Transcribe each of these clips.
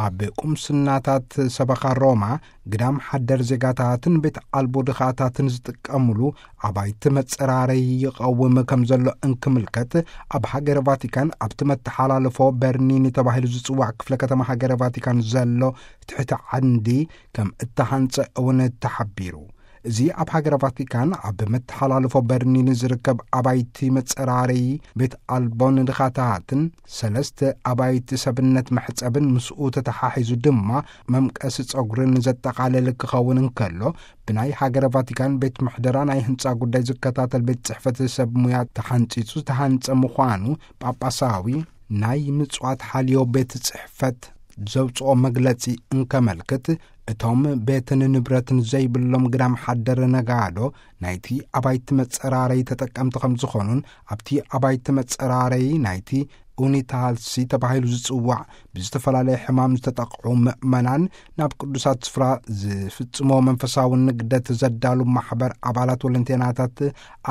ኣብ ቁምስናታት ሰበኻ ሮማ ግዳም ሓደር ዜጋታትን ቤት ኣልቦ ድኻታትን ዝጥቀምሉ ኣባይቲ መጸራረይ ይቐውም ከም ዘሎ እንክምልከት፣ ኣብ ሃገረ ቫቲካን ኣብቲ መተሓላለፎ በርኒኒ ተባሂሉ ዝጽዋዕ ክፍለ ከተማ ሃገረ ቫቲካን ዘሎ ትሕቲ ዓንዲ ከም እተሃንጸ እውን ተሓቢሩ። እዚ ኣብ ሃገረ ቫቲካን ኣብ መተሓላለፎ በርኒኒ ዝርከብ ኣባይቲ መጸራረይ ቤት ኣልቦ ንድኻታትን ሰለስተ ኣባይቲ ሰብነት መሕጸብን ምስኡ ተተሓሒዙ ድማ መምቀሲ ጸጉርን ዘጠቓለለ ክኸውን እንከሎ፣ ብናይ ሃገረ ቫቲካን ቤት ምሕደራ ናይ ህንጻ ጉዳይ ዝከታተል ቤት ጽሕፈት ሰብ ሙያ ተሓንጺጹ ዝተሃንጸ ምዃኑ ጳጳሳዊ ናይ ምጽዋት ሓልዮ ቤት ጽሕፈት ዘውጽኦ መግለጺ እንከመልክት፣ እቶም ቤትን ንብረትን ዘይብሎም ግዳም ሓደር ነጋዶ ናይቲ ኣባይቲ መጸራረይ ተጠቀምቲ ከም ዝኾኑን፣ ኣብቲ ኣባይቲ መጸራረይ ናይቲ ኡኒታልሲ ተባሂሉ ዝጽዋዕ ብዝተፈላለየ ሕማም ዝተጠቕዑ ምእመናን ናብ ቅዱሳት ስፍራ ዝፍጽሞ መንፈሳዊ ንግደት ዘዳሉ ማሕበር ኣባላት ወለንቴናታት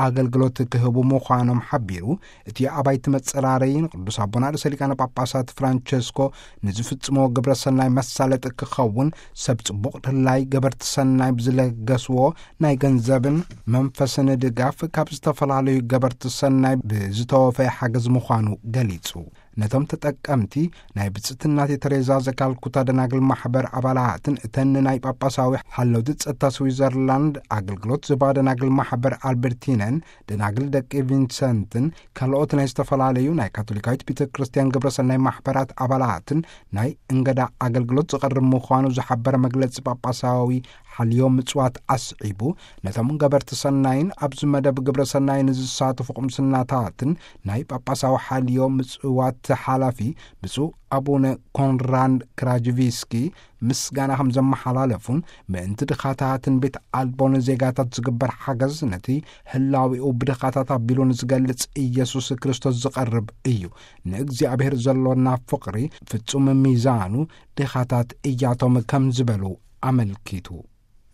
ኣገልግሎት ክህቡ ምዃኖም ሓቢሩ። እቲ ኣባይቲ መጸራረይ ንቅዱስ ኣቦና ርእሰ ሊቃነ ጳጳሳት ፍራንቸስኮ ንዝፍጽሞ ግብረ ሰናይ መሳለጢ ክኸውን፣ ሰብ ጽቡቕ ድላይ ገበርቲ ሰናይ ብዝለገስዎ ናይ ገንዘብን መንፈስን ድጋፍ ካብ ዝተፈላለዩ ገበርቲ ሰናይ ብዝተወፈየ ሓገዝ ምዃኑ ገሊጹ። ነቶም ተጠቀምቲ ናይ ብጽእቲ እናቴ ተሬዛ ዘካልኩታ ደናግል ማሕበር ኣባላትን እተን ናይ ጳጳሳዊ ሓለውቲ ጸጥታ ስዊዘርላንድ ኣገልግሎት ዝባ ደናግል ማሕበር ኣልበርቲነን፣ ደናግል ደቂ ቪንሰንትን ካልኦት ናይ ዝተፈላለዩ ናይ ካቶሊካዊት ቤተ ክርስቲያን ግብረ ሰናይ ማሕበራት ኣባላትን ናይ እንገዳ ኣገልግሎት ዝቐርብ ምዃኑ ዝሓበረ መግለጺ ጳጳሳዊ ሓልዮ ምጽዋት ኣስዒቡ፣ ነቶም ገበርቲ ሰናይን ኣብዚ መደብ ግብረ ሰናይ ንዝሳተፉ ቁምስናታትን ናይ ጳጳሳዊ ሓልዮ ምጽዋት ሓላፊ ብፁዕ ኣቡነ ኮንራድ ክራጅቪስኪ ምስጋና ከም ዘመሓላለፉን፣ ምእንቲ ድኻታትን ቤት ኣልቦን ዜጋታት ዝግበር ሓገዝ፣ ነቲ ህላዊኡ ብድኻታት ኣቢሉ ንዝገልጽ ኢየሱስ ክርስቶስ ዝቐርብ እዩ። ንእግዚኣብሔር ዘሎና ፍቕሪ ፍጹም ሚዛኑ ድኻታት እያቶም ከም ዝበሉ ኣመልኪቱ።